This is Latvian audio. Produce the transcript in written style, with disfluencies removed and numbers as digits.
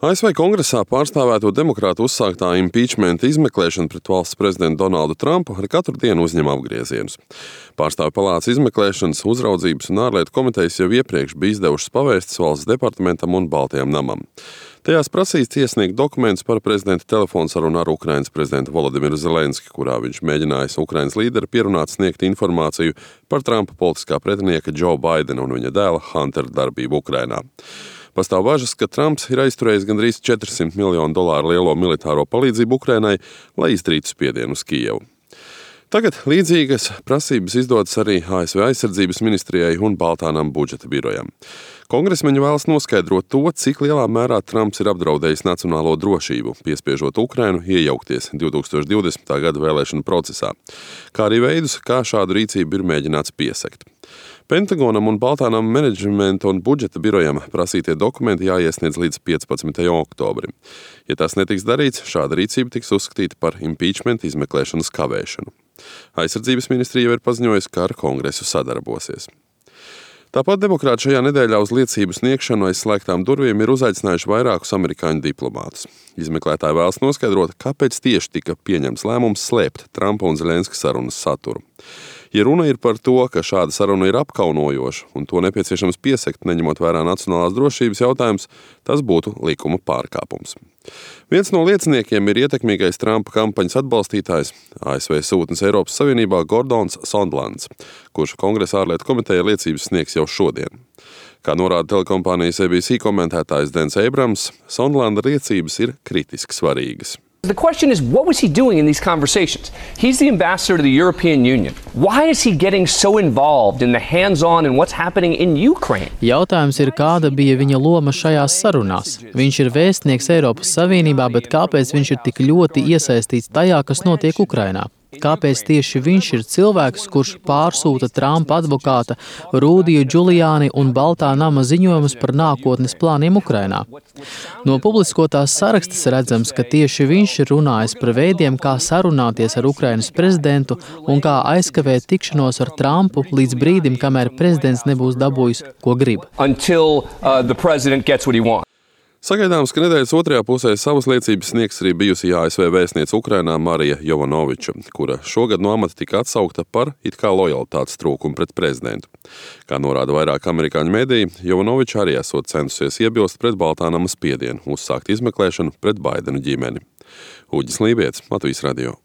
ASV Kongresā pārstāvēto demokrātu uzsāktā impeachmenta izmeklēšana pret valsts prezidentu Donaldu Trumpu ar katru dienu uzņem apgriezienus. Pārstāvju palātas izmeklēšanas, uzraudzības un ārlietu komitejas jau iepriekš bija izdevušas pavēstis valsts departamentam un Baltajam namam. Tajās prasīts iesniegt dokumentus par prezidenta telefonsarunu ar Ukrainas prezidentu Volodimiru Zelenski, kurā viņš mēģinājis Ukrainas līderi pierunāt sniegt informāciju par Trumpa politiskā pretinieka Joe Bidena un viņa dēla Huntera darbību Ukrainā. Pastāv bažas, ka Trumps ir aizturējis gandrīz $400 miljonu lielo militāro palīdzību Ukrainai, lai izdarītu spiedienu uz Kijevu. Tagad līdzīgas prasības izdotas arī ASV aizsardzības ministrijai un Baltā nama budžeta birojam. Kongresmeņi vēlas noskaidrot to, cik lielā mērā Trumps ir apdraudējis nacionālo drošību, piespiežot Ukrainu iejaukties 2020. Gada vēlēšanu procesā, kā arī veidus, kā šādu rīcību ir mēģināts piesekt. Pentagonam un Baltā nama menedžmenta un budžeta birojam prasītie dokumenti jāiesniedz līdz 15. oktobrim. Ja tas netiks darīts, šāda rīcība tiks uzskatīta par impeachment izmeklēšanas kavēšanu. Aizsardzības ministrija jau ir paziņojusi, ka ar Kongresu sadarbosies. Tāpat demokrāti šajā nedēļā uz liecību sniegšanu aiz slēgtām durvīm ir uzaicinājuši vairākus amerikāņu diplomātus. Izmeklētāji vēlas noskaidrot, kāpēc tieši tika pieņemts lēmums slēpt Trumpa un Zelenska sarunas saturu. Ja runa ir par to, ka šāda saruna ir apkaunojoša un to nepieciešams piesekt, neņemot vērā nacionālās drošības jautājums, tas būtu likuma pārkāpums. Viens no lieciniekiem ir ietekmīgais Trumpa kampaņas atbalstītājs, ASV sūtnis Eiropas Savienībā Gordons Sondlands, kurš Kongresa ārlietu komiteja liecības sniegs jau šodien. Kā norāda telekompānijas ABC komentētājs Dens Abrams, Sondlanda liecības ir kritiski svarīgas. The question is, what was he doing in these conversations? He's the ambassador to the European Union. Why is he getting so involved in the hands-on and what's happening in Ukraine? Jautājums ir, kāda bija viņa loma šajās sarunās. Viņš ir vēstnieks Eiropas Savienībā, bet kāpēc viņš ir tik ļoti iesaistīts tajā, kas notiek Ukrainā? Kāpēc tieši viņš ir cilvēks, kurš pārsūta Trumpa advokāta Rudiju Giuliani un Baltā nama ziņojumus par nākotnes plāniem Ukrainā? No publiskotās sarakstas redzams, ka tieši viņš ir runājis par veidiem, kā sarunāties ar Ukrainas prezidentu un kā aizkavēt tikšanos ar Trumpu līdz brīdim, kamēr prezidents nebūs dabūjis, ko grib. Sagaidāms, ka nedēļas otrajā pusē savas liecības sniegs arī bijusī ASV vēstniece Ukrainā Marija Jovanoviča, kura šogad no amata tika atsaukta par it kā lojalitātes trūkumu pret prezidentu. Kā norāda vairāk amerikāņu mediji, Jovanoviča arī esot centusies iebilst pret Baltā nama spiedienu, uzsākt izmeklēšanu pret Baidenu ģimeni. Uģis Lībietis, Latvijas radio.